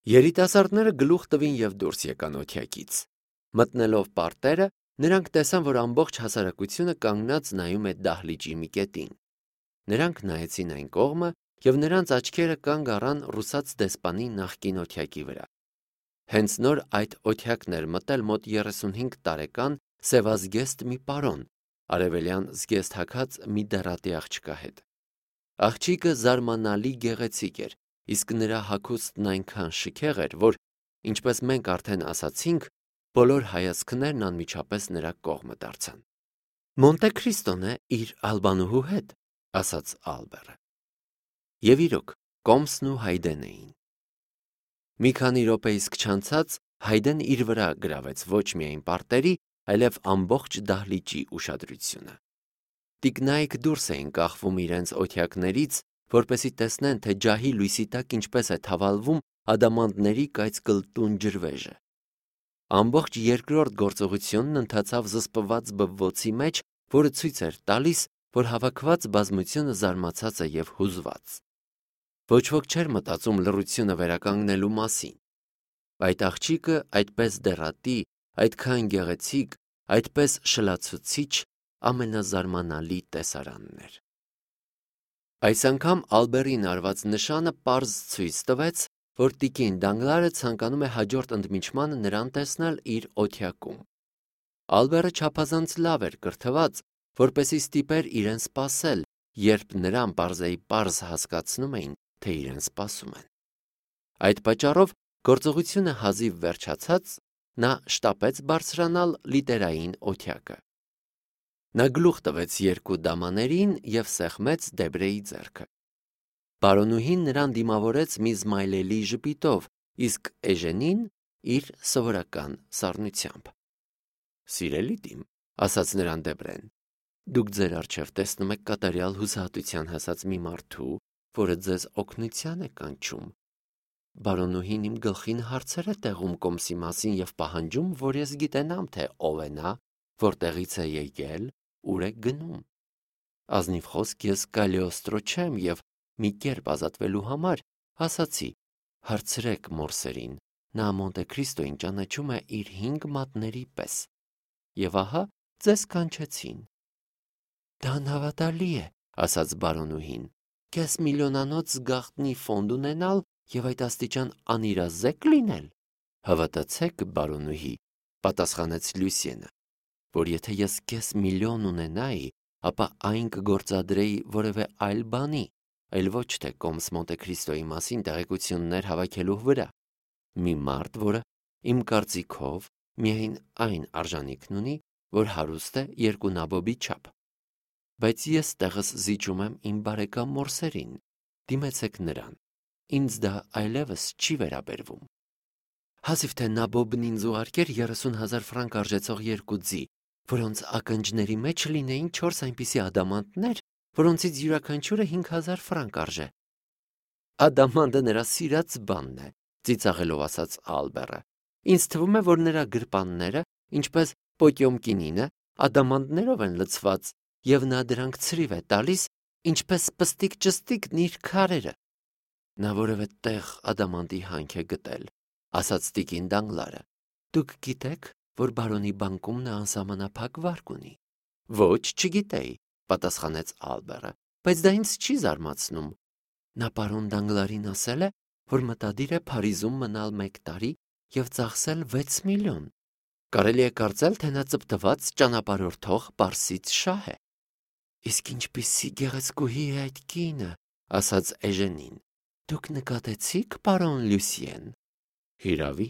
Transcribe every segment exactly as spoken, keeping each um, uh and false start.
Երիտասարդները գլուխ տվին և դուրս եկան օթյակից։ Մտնելով պարտերը, նրանք տեսան, որ ամբողջ հասարակությունը կանգնած նայում է դահլիճի մի կետին։ Նրանք նայեցին այն կողմը, և նրանց աչքերը կանգ առան ռուսաց դեսպանի նախկին օթյակի վրա։ Հենց նոր այդ օթյակն էր մտել մոտ երեսունհինգ տարեկան սևազգեստ մի պարոն, արևելյան զգեստ հագած մի դեռատի աղջկա հետ։ Աղջիկը զարմանալի գեղեցիկ էր, իսկ նրա հագուստն այնքան շքեղ էր, որ, ինչպես մենք արդեն ասացինք, բոլոր հայացքներն անմիջապես նրա կողմը դարձան։ Մոնտե Քրիստոն է իր ալբանուհու հետ, ասաց Ալբերը։ Եվ իրոք, Կոմսն ու Հայդեն էին։ Մի քանի րոպե իսկ չանցած Հայդեն իր վրա գրավեց ոչ միայն պարտերի, այլև ամբողջ դահլիճի ուշադրությունը։ Տիկնայք դուրս էին կախվում իրենց օթյակներից, որպեսզի տեսնեն, թե ջահի լույսի տակ ինչպես է թավալվում ադամանդների կայծկլտուն ջրվեժը։ Ամբողջ երկրորդ գործողությունն ընթացավ զսպված բվոցի մեջ, որը ցույց էր տալիս, որ հավաքված բազմությունը զարմացած է և հուզված։ Ոչ ոք չէր մտածում լռությունը վերականգնելու մասին։ Այդ աղջիկը այդպես դեռատի, այդքան գեղեցիկ, այդպես շլացուցիչ ամենազարմանալի տեսարանն էր։ Այս անգամ Ալբերին արված նշանը պարզ ցույց տվեց, որ տիկին Դանգլարը ցանկանում է հաջորդ ընդմիջմանը նրան տեսնել իր օթյակում։ Ալբերը չափազանց լավ էր կրթված, որպեսզի ստիպեր իրեն սպասել, երբ նրան պարզեիպարզ հասկացնում էին, թե իրեն սպասում են։ Այդ պատճառով գործողությունը հազիվ վերջացած, նա շտապեց բարձրանալ լիտերային օթյակը։ Նա գլուխ տվեց երկու դամաներին և սեղմեց Դեբրեի ձեռքը։ Բարոնուհին նրան դիմավորեց մի զմայլելի ժպիտով, իսկ Էժենին իր սովորական սառնությամբ։ Սիրելի դիմ, ասաց նրան Դեբրեն, դուք ձեր առջև տեսնում եք կատարյալ հուսահատության հասած մի մարդու, որը ձեզ օգնության է կանչում։ Բարոնուհին իմ գլխին հարցեր է տեղում Կոմսի մասին և պահանջում, որ ես գիտենամ, թե ով է նա, որտեղից է եկել, ուր է գնում։ Ազնիվ խոսք ես Կալիոստրո չեմ և մի կերպ ազատվելու համար ասացի. հարցրեք Մորսերին, նա Մոնտե Քրիստոյին ճանաչում է իր հինգ մատների պես։ Եվ ահա ձեզ կանչեցին։ Դա անհավատալի է, ասաց բարոնուհին, կես միլիոնանոց գաղտնի ֆոնդ ունենալ և այդ աստիճան անիրազեկ լինել։ Հավատացեք, բարոնուհի, պատասխանեց Լյուսիենը, որ եթե ես կես միլիոն ունենայի, ապա այն կգործադրեի որևէ այլ բանի, այլ ոչ թե Կոմս Մոնտե Քրիստոյի մասին տեղեկություններ հավաքելու վրա։ Մի մարդ, որը, իմ կարծիքով, միայն այն արժանիքն ունի, որ հարուստ է երկու նաբոբի չափ։ Բայց ես տեղս զիջում եմ իմ բարեկամ Մորսերին, դիմեցեք նրան, ինձ դա այլևս չի վերաբերվում։ Հազիվ թե նաբոբն ինձ ուղարկեր երեսուն հազար ֆրանկ արժեցող երկու ձի, որոնց ակնջների մեջ լինեին չորս այնպիսի ադամանդներ, որոնցից յուրաքանչյուրը հինգ հազար ֆրանկ արժե։ Ադամանդը նրա սիրած բանն է, ծիծաղելով ասաց Ալբերը։ Ինձ թվում է, որ նրա գրպանները, ինչպես Պոկյոմկինինը, ադամանդներով են լցված, և նա դրանք ցրիվ է տալիս, ինչպես պստիկ-ճստիկն իր քարերը։ Նա որևէ տեղ ադամանդի հանք է գտել, ասաց տիկին Դանգլարը։ Դուք գիտեք, որ բարոնի բանկում նա անսահմանափակ վարկ ունի։ Ոչ, չգիտեի, պատասխանեց Ալբերը, բայց դա ինձ չի զարմացնում։ Նա պարոն Դանգլարին ասել է, որ մտադիր է Փարիզում մնալ մեկ տարի և ծախսել վեց միլիոն։ Կարելի է կարծել, թե նա ծպտված ճանապարհորդող պարսից շահ է։ Իսկ ինչպիսի գեղեցկուհի է այդ կինը, ասաց Էժենին։ Դուք նկատեցի՞ք, պարոն Լյուսիեն։ Հիրավի,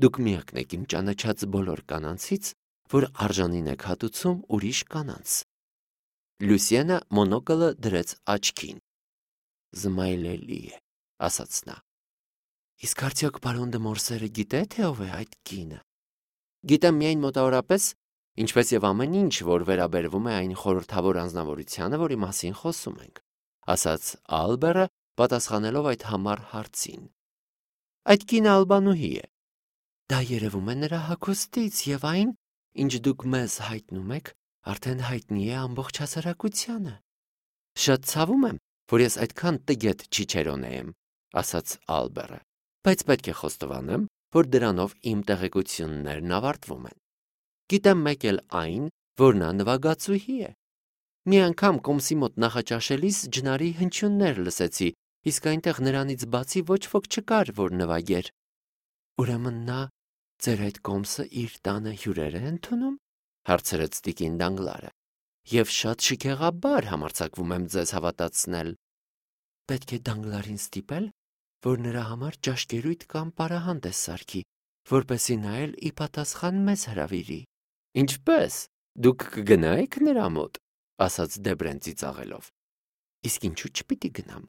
դուք միակն եք իմ ճանաչած բոլոր կանանցից, որ արժանին եք հատուցում ուրիշ կանանց։ Լյուսիենը մոնոկլը դրեց աչքին։ Զմայլելի է, ասաց նա։ Իսկ արդյոք պարոն դը Մորսերը գիտե, թե ով է այդ կինը։ Գիտեմ միայն մոտավորապես, ինչպես եւ ամեն ինչ, որ վերաբերվում է այն խորհրդավոր անձնավորությանը, որի մասին խոսում ենք, ասաց Ալբերը, պատասխանելով այդ համառ հարցին։ Այդ կինը ալբանուհի է։ Դա երևում է նրա հագուստից եւ այն, ինչ դուք մեզ հայտնում եք, արդեն հայտնի է ամբողջ հասարակությանը։ Շատ ցավում եմ, որ ես այդքան տգետ չիչերոնե եմ, ասաց Ալբերը։ բայց պետք է խոստովանեմ, որ դրանով իմ տեղեկություններն ավարտվում են։ Գիտեմ մեկ էլ այն, որ նա նվագացուհի է։ Մի անգամ կոմսի մոտ նախաճաշելիս ջնարի հնչյուններ լսեցի, իսկ այնտեղ նրանից բացի ոչ ոք չկար, որ նվագեր։ Ուրեմն նա ձեր այդ կոմսը իր տանը հյուրեր է ընդունում, հարցրեց տիկին Դանգլարը, և շատ շքեղաբար համարձակվում եմ ձեզ հավատացնել։ Պետք է Դանգլարին ստիպել, որ նրա համար ճաշկերույթ կամ պարահանդես սարքի, որպեսզի նա էլ ի պատասխան մեզ հրավիրի։ Ինչպե՞ս, դուք կգնայիք նրա մոտ, ասաց Դեբրեն ծիծաղելով։ Իսկ ինչու չպիտի գնամ,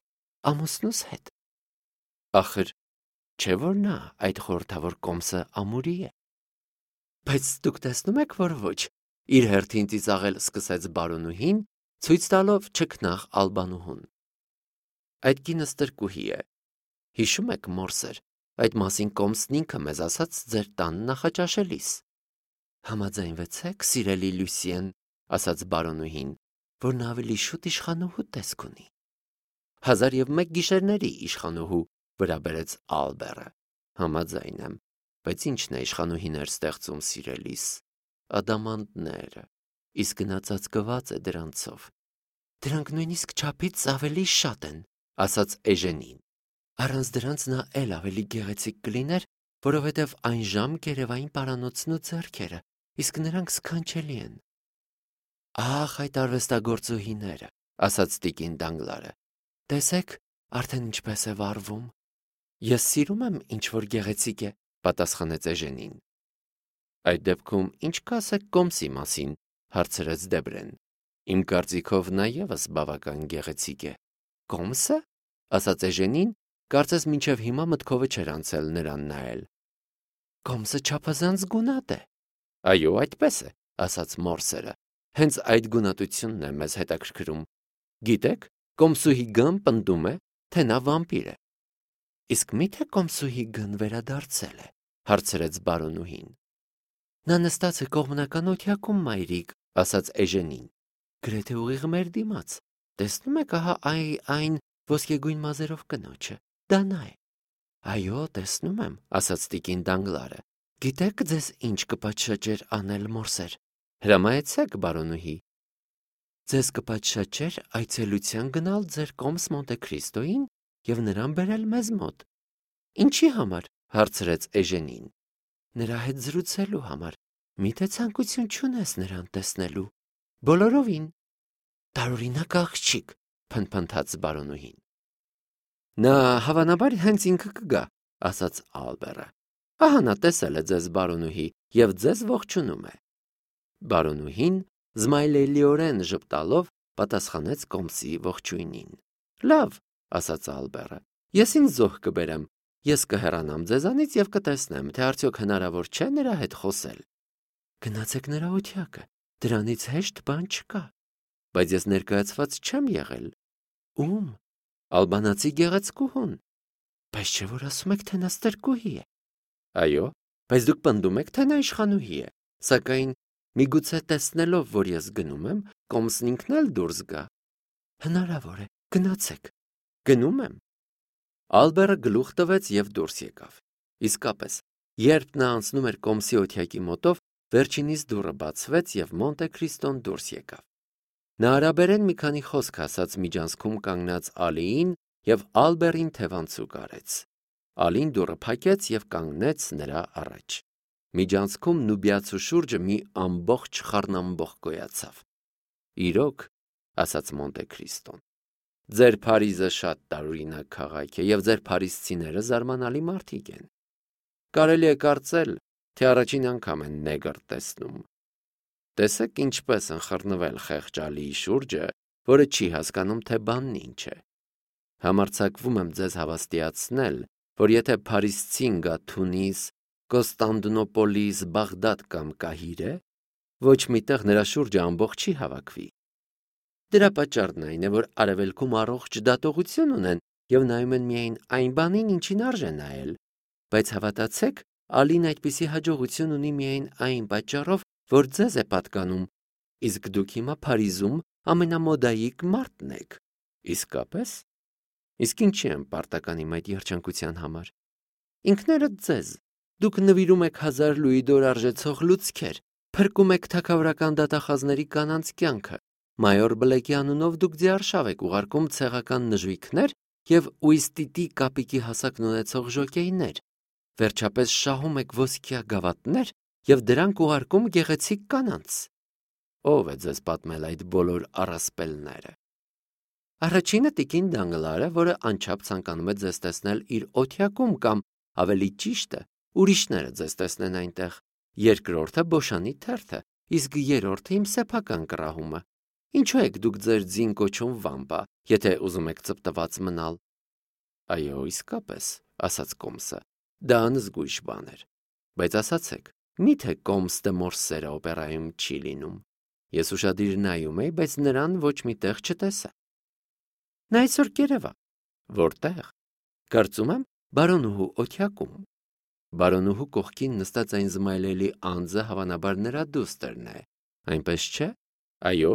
ամուսնուս հետ։ Ախր, չէ՞ որ նա այդ խորհրդավոր կոմսը ամուրի է։ Բայց դուք տեսնում եք, որ ոչ, իր հերթին ծիծաղել սկսեց բարոնուհին, ցույց տալով չքնաղ Ալբանուհուն։ Այդ կինը ստրկուհի է։ Հիշում եք, մորսեր, այդ մասին կոմսն ինքը մեզ ասաց ձեր տան նախաճաշելիս։ Համաձայնվեցեք, սիրելի Լյուսիեն, ասաց բարոնուհին, որ նա ավելի շուտ իշխանուհու տեսք ունի։ Հազար և մեկ գիշերների իշխանուհու, վրա բերեց Ալբերը։ Համաձայն եմ, բայց ի՞նչն է իշխանուհիներ ստեղծում սիրելիս։ Ադամանդները, իսկ նա ծածկված է դրանցով։ Դրանք նույնիսկ չափից ավելի շատ են, ասաց Էժենին։ Առանց դրանց նա էլ ավելի գեղեցիկ կլիներ, որովհետև այն ժամ գերևային պարանոցն ու ձեռքերը, իսկ նրանք սքանչելի են։ Ահ, այդ արվեստագործուհիները, ասաց տիկին Դանգլարը։ Տեսեք, արդեն ինչպես է վարվում։ Ես սիրում եմ ինչ-որ գեղեցիկ է, պատասխանեց Էժենին։ Այդ դեպքում ինչ կասեք կոմսի մասին, հարցրեց Դեբրեն։ Իմ կարծիքով նա ևս բավական գեղեցիկ է։ Կոմսը, ասաց Էժենին, կարծես մինչև հիմա մտքովը չէր անցել նրան նայել։ Կոմսը չափազանց գունատ է։ Այո, այդպես է, ասաց մորսերը։ Հենց այդ գունատությունն է մեզ հետաքրքրում։ Գիտեք, կոմսուհի Գ-ն պնդում է, թե նա վամպիր է։ Իսկ մի՞թե կոմսուհի Գ-ն վերադարձել է, հարցրեց բարոնուհին։ Նա նստած է կողմնական օթյակում, մայրիկ, ասաց Էժենին։ Գրեթե ուղիղ մեր դիմաց։ Տեսնում եք, ահա այ այն ոսկեգույն մազերով կնոջը, դա նա է։ Այո, տեսնում եմ, ասաց տիկին Դանգլարը։ Գիտեք, ձեզ ինչ կպատշաճեր անել, մորսեր։ Հրամայեցեք, բարոնուհի։ Ձեզ կպատշաճեր այցելության գնալ ձեր կոմս Մոնտե Քրիստոյին և նրան բերել մեզ մոտ։ Ինչի համար, հարցրեց Էժենին։ Նրա հետ զրուցելու համար։ Միթե ցանկություն չունես նրան տեսնելու։ Բոլորովին։ Տարօրինակ աղջիկ, փնփնթաց բարոնուհին։ Նա հավանաբար հենց ինքը կգա, ասաց Ալբերը։ Ահա նա տեսել է ձեզ, բարոնուհի, և ձեզ ողջունում է։ Բարոնուհին զմայլելիորեն ժպտալով պատասխանեց կոմսի ողջույնին։ Լավ, ասաց Ալբերը, ես ինձ զոհ կբերեմ, ես կհեռանամ ձեզանից և կտեսնեմ, թե արդյոք հնարավոր չէ նրա հետ խոսել։ Գնացեք նրա օթյակը, դրանից հեշտ բան չկա։ Բայց ես ներկայացված չեմ եղել։ Ում։ Ալբանացի գեղեցկուհուն։ Բայց չէ՞ որ ասում եք, թե նա ստրկուհի է։ Այո, բայց դուք պնդում եք, թե նա իշխանուհի է, սակայն միգուցե տեսնելով, որ ես գնում եմ, կոմսն ինքն էլ դուրս գա։ Հնարավոր է, գնացեք։ Գնում եմ։ Ալբերը գլուխ տվեց և դուրս եկավ։ Իսկապես, երբ նա անցնում էր կոմսի օթյակի մոտով, վերջինիս դուռը բացվեց և Մոնտե Քրիստոն դուրս եկավ։ Նա արաբերեն մի քանի խոսք ասաց միջանցքում կանգնած Ալիին և Ալբերին թևանցուկ արեց։ Ալին դուռը փակեց և կանգնեց նրա առաջ։ Միջանցքում Նուբիացու շուրջը մի ամբողջ խառնամբող գոյացավ։ Իրոք, ասաց Մոնտե Քրիստոն, ձեր Փարիզը շատ տարօրինակ քաղաք է, և ձեր փարիզցիները զարմանալի մարդիկ են։ Կարելի է կարծել, թե առաջին անգամ են նեգր տեսնում։ Տեսեք ինչպես ընխռնվել խեղճ Ալիի շուրջը, որը չի հասկանում, թե բանն ինչ է։ Համարձակվում եմ ձեզ հավաստիացնել, որ եթե փարիզցին գա Թունիս, Կոստանդնուպոլիս, Բաղդադ կամ Կահիրե, ոչ մի տեղ նրա շուրջը ամբողջ չի հավաքվի։ Դրա պատճառն այն է, որ արևելքում առողջ դատողություն ունեն և նայում են միայն այն բանին, ինչին արժե նայել, բայց հավատացեք, Ալին այդպիսի հաջողություն ունի միայն այն պատճառով, որ ձեզ է պատկանում, իսկ դուք հիմա Փարիզում ամենամոդայիկ մարդն եք։ Իսկապես։ Իսկ ինչի եմ պարտական իմ այդ երջանկության համար։ ինքներդ ձեզ։ Դուք նվիրում եք հազար լուիդոր արժեցող լուցկեր, փրկում եք թագավորական դատախազների կանանց կյանքը։ Մայոր Բլեկի անունով դուք ձիարշավ եք ուղարկում ցեղական նժույգներ և ուիստիտի կապիկի հասակն ունեցող ժոկեյներ։ Վերջապես շահում եք ոսկյա գավաթներ և դրանք ուղարկում գեղեցիկ կանանց։ Ո՞վ է ձեզ պատմել այդ բոլոր առասպելները։ Առաջինը տիկին Դանգլարը, որը անչափ ցանկանում է ձեզ տեսնել իր օթյակում կամ, ավելի ճիշտը, ուրիշները ձեզ տեսնեն այնտեղ։ Երկրորդը Բոշանի թերթը, իսկ երրորդը իմ սեփական կռահումը։ Ինչու եք դուք ձեր ձին կոչում վամպա, եթե ուզում եք ծպտված մնալ։ Այո, իսկապես, ասաց Կոմսը, դա անզգույշ բան էր։ Բայց ասացեք, միթե Կոմս դե Մորսերը օպերայում չի լինում։ Ես ուշադիր նայում էի, բայց նրան ոչ մի տեղ չտեսա։ Նա այսօր կերևա։ Որտեղ։ Կարծում եմ, բարոնուհու օթյակում։ Բարոնուհու կողքին նստած այն զմայլելի անձը հավանաբար նրա դուստերն է, այնպես չէ։ Այո,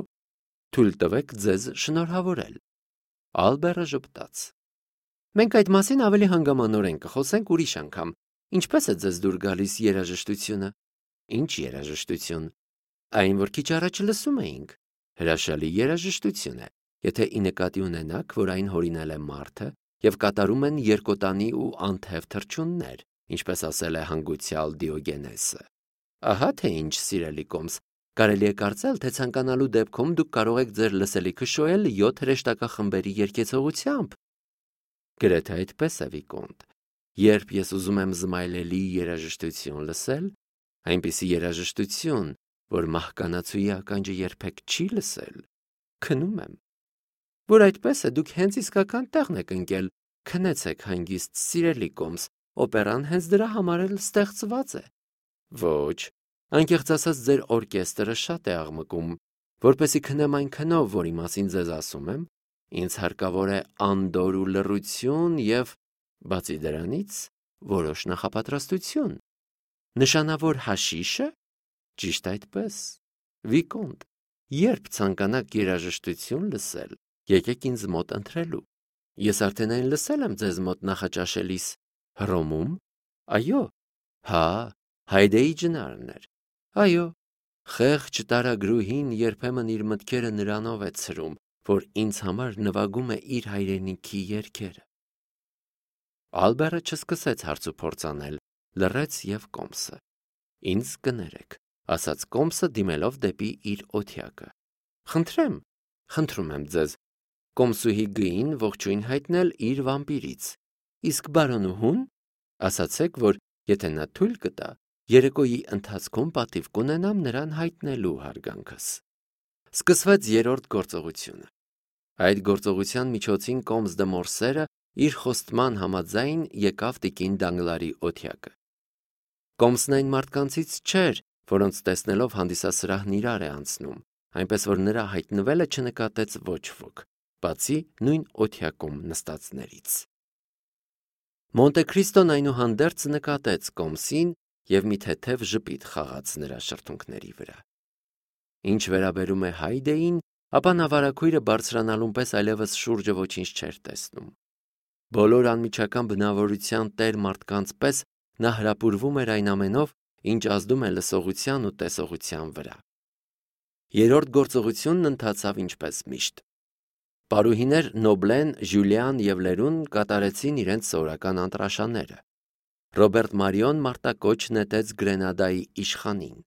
թույլ տվեք ձեզ շնորհավորել։ Ալբերը ժպտաց։ Մենք այդ մասին ավելի հանգամանորեն կխոսենք ուրիշ անգամ։ Ինչպես է ձեզ դուր գալիս երաժշտությունը։ Ինչ երաժշտություն։ Այն, որ քիչ առաջ լսում էինք։ Հրաշալի երաժշտություն է, եթե ի նկատի ունենաք, որ այն հորինել է մարդը և կատարում են երկոտանի ու անթև թռչուններ, ինչպես ասել է հանգուցյալ Դիոգենեսը։ Ահա թե ինչ, սիրելի Կոմս, կարելի է կարծել, թե ցանկանալու դեպքում դուք կարող եք ձեր լսելիքը շոյել յոթ հրեշտակախմբերի երգեցողությամբ։ Գրեթե այդպես է, Վիկոնտ։ Երբ ես ուզում եմ զմայլելի երաժշտություն լսել, այնպիսի երաժշտություն, որ մահկանացուի ականջը երբեք չի լսել, քնում եմ։ Որ այդպես է, դուք հենց իսկական տեղն եք ընկել։ Քնեցեք հանգիստ, սիրելի Կոմս, օպերան հենց դրա համար էլ ստեղծված է։ Ոչ, անկեղծ ասած, ձեր օրկեստրը շատ է աղմկում, որպեսզի քնեմ այն քնով, որի մասին ձեզ ասում եմ, ինձ հարկավոր է անդորր ու լռություն և, բացի դրանից, որոշ նախապատրաստություն։ Նշանավոր հաշիշը։ Ճիշտ այդպես։ Վիկոնտ, երբ ցանկանաք երաժշտություն լսել, եկեք ինձ մոտ ընթրելու։ Ես արդեն այն լսել եմ ձեզ մոտ նախաճաշելիս։ Հռոմում։ Այո։ Հա, Հայդեի ջնարն էր։ Այո։ Խեղճ տարագրուհին երբեմն իր մտքերը նրանով է ցրում, որ ինձ համար նվագում է իր հայրենիքի երգերը։ Ալբերը չսկսեց հարցուփորձ անել, լռեց և Կոմսը։ Ինձ կներեք, ասաց Կոմսը դիմելով դեպի իր օթյակը։ Խնդրեմ, խնդրում եմ ձեզ, Կոմսուհի գին ողջույն հայտնել իր վամպիրից։ Իսկ բարոնուհուն, ասացեք, որ եթե նա թույլ կտա, երեկոյի ընթացքում պատիվ կունենամ նրան հայտնելու հարգանքս։ Սկսվեց երրորդ գործողությունը։ Այդ գործողության միջոցին Կոմս դե Մորսերը իր խոստման համաձայն եկավ տիկին Դանգլարի օթյակը։ Կոմսն այն մարդկանցից չէր, որոնց տեսնելով հանդիսասրահն իրար է անցնում, այնպես որ նրա հայտնվելը չնկատեց ոչ ոք, բացի նույն օթյակում նստածներից։ Մոնտե Քրիստոն այնուհանդերձ նկատեց Կոմսին և մի թեթև ժպիտ խաղաց նրա շրթունքների վրա։ Ինչ վերաբերում է Հայդեին, ապա նա վարագույրը բարձրանալուն պես այլևս շուրջը ոչինչ չէր տեսնում։ Բոլոր անմիջական բնավորության տեր մարդկանց պես նա հրապուրվում էր այն ամենով, ինչ ազդում է լսողության ու տեսողության վրա։ Երրորդ գործողությունն ընթացավ ինչպես միշտ։ Պարուհիներ Նոբլեն, Ժյուլիան և Լերուն կատարեցին իրենց սովորական անտրաշաները։ Ռոբերտ Մարիոն մարտակոչ նետեց Գրենադայի իշխանին։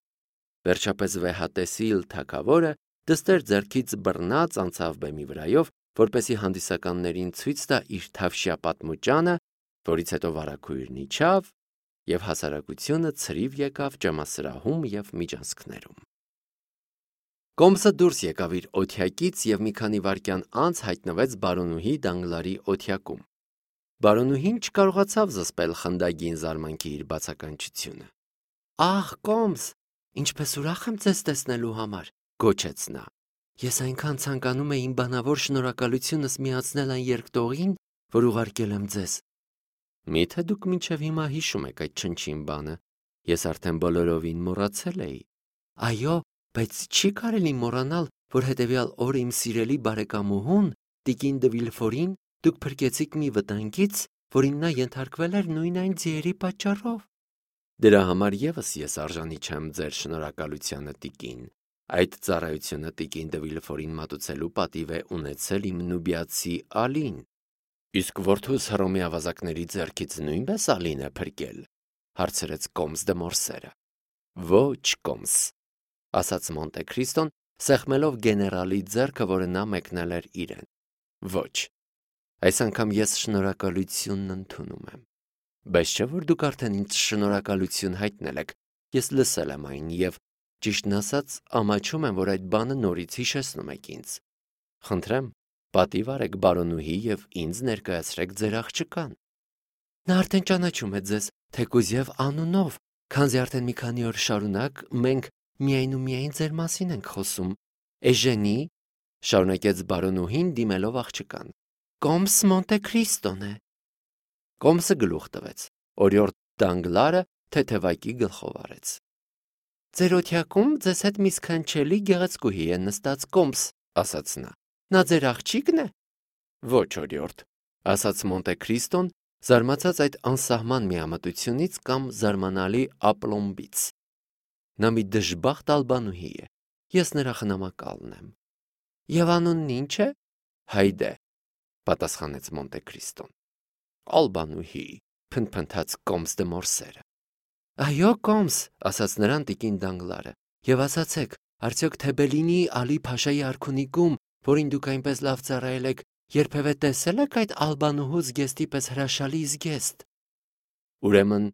Վերջապես վեհատեսիլ թագավորը դստեր ձեռքից բռնած անցավ բեմի վրայով, որպեսզի հանդիսականներին ցույց տա իր թավշյա պատմուճանը, որից հետո վարագույրն իջավ, և հասարակությունը ցրիվ եկավ ջամասրահում և միջանցքներում։ Կոմսը դուրս եկավ իր օթյակից և մի քանի վայրկյան անց հայտնվեց բարոնուհի Դանգլարի օթյակում։ Բարոնուհին չկարողացավ զսպել խնդագին զարմանքի իր բացականչությունը։ Ահ, Կոմս, ինչպես ուրախ եմ ձեզ տեսնելու համար, գոչեց նա։ Ես այնքան ցանկանում էի իմ բանավոր շնորհակալությունս միացնել այն երկտողին, որ ուղարկել եմ ձեզ։ Միթե դուք մինչև հիմա հիշում եք այդ չնչին բանը։ Ես արդեն բոլորովին մոռացել էի։ Այո, բայց չի կարելի մոռանալ, որ հետևյալ օրը իմ սիրելի բարեկամուհուն, տիկին դե Վիլֆորին, դուք փրկեցիք մի վտանգից, որին նա ենթարկվել էր նույն այն ձիերի պատճառով։ Դրա համար եւս ես արժանի չեմ ձեր շնորհակալությանը, տիկին։ Այդ ծառայությունը տիկին դե Վիլֆորին մատուցելու պատիվ է ունեցել իմ նուբիացի Ալին։ Իսկ որդուս Հռոմի ավազակների ձեռքից նույնպես Ալին է փրկել, հարցրեց Կոմս դե Մորսերը։ Ոչ, Կոմս, ասաց Մոնտե Քրիստոն, սեղմելով գեներալի ձեռքը, որը նա մեկնել էր իրեն։ Ոչ, այս անգամ ես շնորհակալությունն ընդունում եմ։ Բայց չէ՞ որ դուք արդեն ինձ շնորհակալություն հայտնել եք, ես լսել եմ այն եւ, ճիշտն ասած, ամաչում եմ, որ այդ բանը նորից հիշեցնում եք ինձ։ Խնդրեմ, պատիվ արեք բարոնուհի եւ ինձ ներկայացրեք ձեր աղջկան։ Նա արդեն ճանաչում է ձեզ, թեկուզ եւ անունով, քանզի արդեն մի քանի օր շարունակ մենք միայն ու միայն ձեր մասին ենք խոսում։ Էժենի, շարունակեց բարոնուհին դիմելով աղջկան։ Կոմս Մոնտե Քրիստոն է։ Կոմսը գլուխ տվեց։ Օրիորդ Դանգլարը թեթևակի գլխով արեց։ Ձեր օթյակում ձեզ հետ մի սքանչելի գեղեցկուհի է նստած, Կոմս, ասաց նա։ Նա ձեր աղջիկն է։ Ոչ, օրիորդ, ասաց Մոնտե Քրիստոն, զարմացած այդ անսահման միամտությունից կամ զարմանալի ապլոմբից։ Նա մի դժբախտ ալբանուհի է։ Ես նրա խնամակալն եմ։ Եվ անունն ինչ է։ Հայդե, պատասխանեց Մոնտե Քրիստոն։ Ալբանուհի, փնփնթաց Կոմս դե Մորսերը։ Այո, Կոմս, ասաց նրան տիկին Դանգլարը, եւ ասացեք, արդյոք Թեբելինի Ալի Փաշայի արքունիքում, որին դուք այնպես լավ ծառայել եք, երբևէ տեսել եք այդ ալբանուհու զգեստի պես հրաշալի զգեստ։ Ուրեմն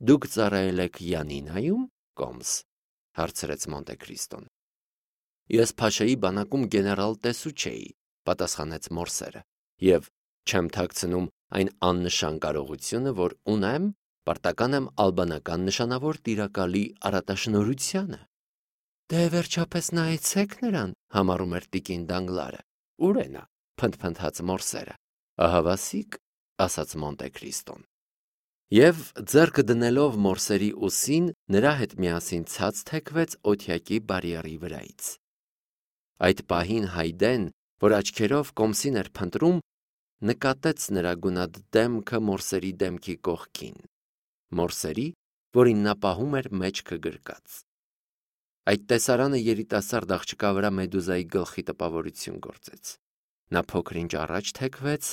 դուք ծառայել եք Յանինայում, Կոմս, հարցրեց Մոնտե Քրիստոն։ Ես Փաշայի բանակում գեներալ տեսուչ էի, պատասխանեց Մորսերը, եւ չեմ թաքցնում այն աննշան կարողությունը, որ ունեմ, պարտական եմ ալբանական նշանավոր տիրակալի արատաշնորհությանը։ Դե վերջապես նայեցեք նրան, համառում էր տիկին Դանգլարը։ Ուր է նա, փնթփնթաց Մորսերը։ Ահավասիկ, ասաց Մոնտե Քրիստոն։ Եվ ձեռքը դնելով Մորսերի ուսին, նրա հետ միասին ցած թեքվեց օթյակի բարիերի վրայից։ Այդ պահին Հայդեն, որ աչքերով Կոմսին էր փնտրում, նկատեց նրա գունատ դեմքը Մորսերի դեմքի կողքին։ Մորսերի, որին նա պահում էր մեջքը գրկած։ Այդ տեսարանը երիտասարդ աղջկա վրա Մեդուզայի գլխի տպավորություն գործեց։ Նա փոքր-ինչ առաջ թեքվեց,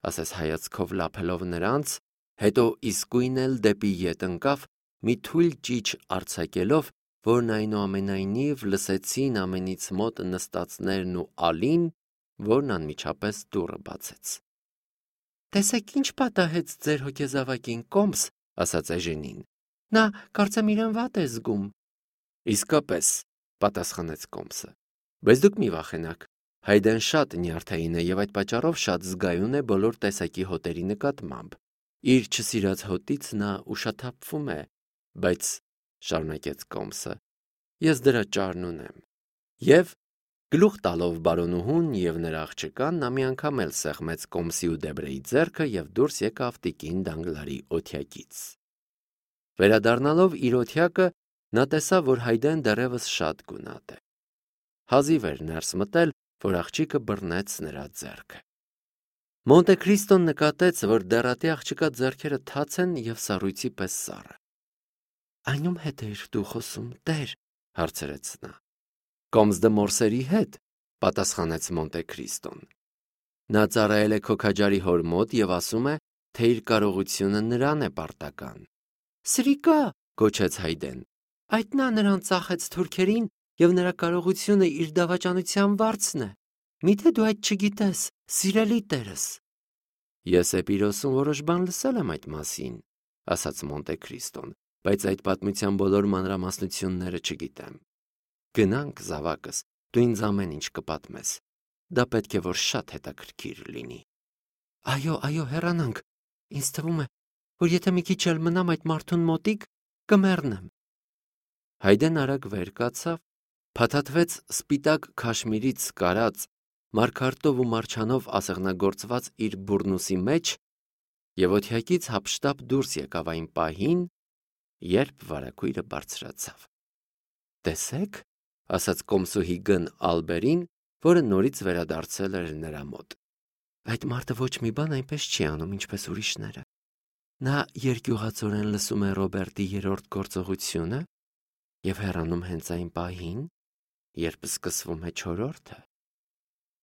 ասես հայացքով լափելով նրանց, հետո իսկույն էլ դեպի ետ ընկավ, մի թույլ ճիչ արձակելով, որն այնուամենայնիվ լսեցին ամենից մոտ նստածներն ու Ալին, որն անմիջապես դուռը բացեց։ Տեսեք ինչ պատահեց ձեր հոգեզավակին, Կոմս, ասաց Էժենին։ Նա կարծեմ իրեն վատ է զգում։ Իսկապես, պատասխանեց Կոմսը։ Բայց դուք մի վախենաք։ Հայդեն շատ նյարդային է եւ այդ պատճառով շատ զգայուն է բոլոր տեսակի հոտերի նկատմամբ։ Իր չսիրած հոտից նա ուշաթափվում է, բայց շարունակեց Կոմսը, ես դրա ճարն ունեմ։ Եվ գլուխ տալով բարոնուհուն եւ նրա աղջկան, նա մի անգամ էլ սեղմեց Կոմսի ու Դեբրեի ձեռքը եւ դուրս եկավ տիկին Դանգլարի օթյակից։ Վերադառնալով իր օթյակը, նա տեսավ, որ Հայդեն դեռևս շատ գունատ է։ Հազիվ էր ներս մտել, որ աղջիկը բռնեց նրա ձեռքը։ Մոնտե Քրիստոն նկատեց, որ դեռատի աղջկա ձեռքերը թաց են եւ սառույցի պես սառը։ Այնու՞մ հետ էիր դու խոսում, Տեր, հարցրեց նա։ Կոմս դե Մորսերի հետ, պատասխանեց Մոնտե Քրիստոն։ Նա ծառայել է քոքաջարի հոր մոտ եւ ասում է, թե իր կարողությունը նրան է պարտական։ Սրիկա, գոչեց Հայդեն։ Այդ նա նրան ծախեց թուրքերին եւ նրա կարողությունը իր դավաճանության վարձն է։ Միթե դու այդ չգիտես, սիրելի Տերս։ Ես Էպիրոսում որոշ բան լսել եմ այդ մասին, ասաց Մոնտե Քրիստոն, բայց այդ պատմության բոլոր մանրամասնությունները չգիտեմ։ Գնանք, զավակս, դու ինձ ամեն ինչ կպատմես։ Դա պետք է որ շատ հետաքրքիր լինի։ Այո, այո, հեռանանք։ Ինձ թվում է, որ եթե մի քիչ էլ մնամ այդ մարդուն մոտիկ, կմեռնեմ։ Հայդեն արագ վեր կացավ, փաթաթվեց սպիտակ քաշմիրից կարած, մարգարտով ու մարչանով ասեղնագործված իր բուրնուսի մեջ եւ օթյակից հափշտապ դուրս եկավ այն պահին, երբ վարագույրը բարձրացավ։ Տեսեք, ասաց Կոմսուհի գն Ալբերին, որը նորից վերադարձել էր նրա մոտ։ Այդ մարդը ոչ մի բան այնպես չի անում, ինչպես ուրիշները։ Նա երկյուղածորեն լսում է Ռոբերտի երրորդ գործողությունը և հեռանում հենց այն պահին, երբ սկսվում է չորրորդը։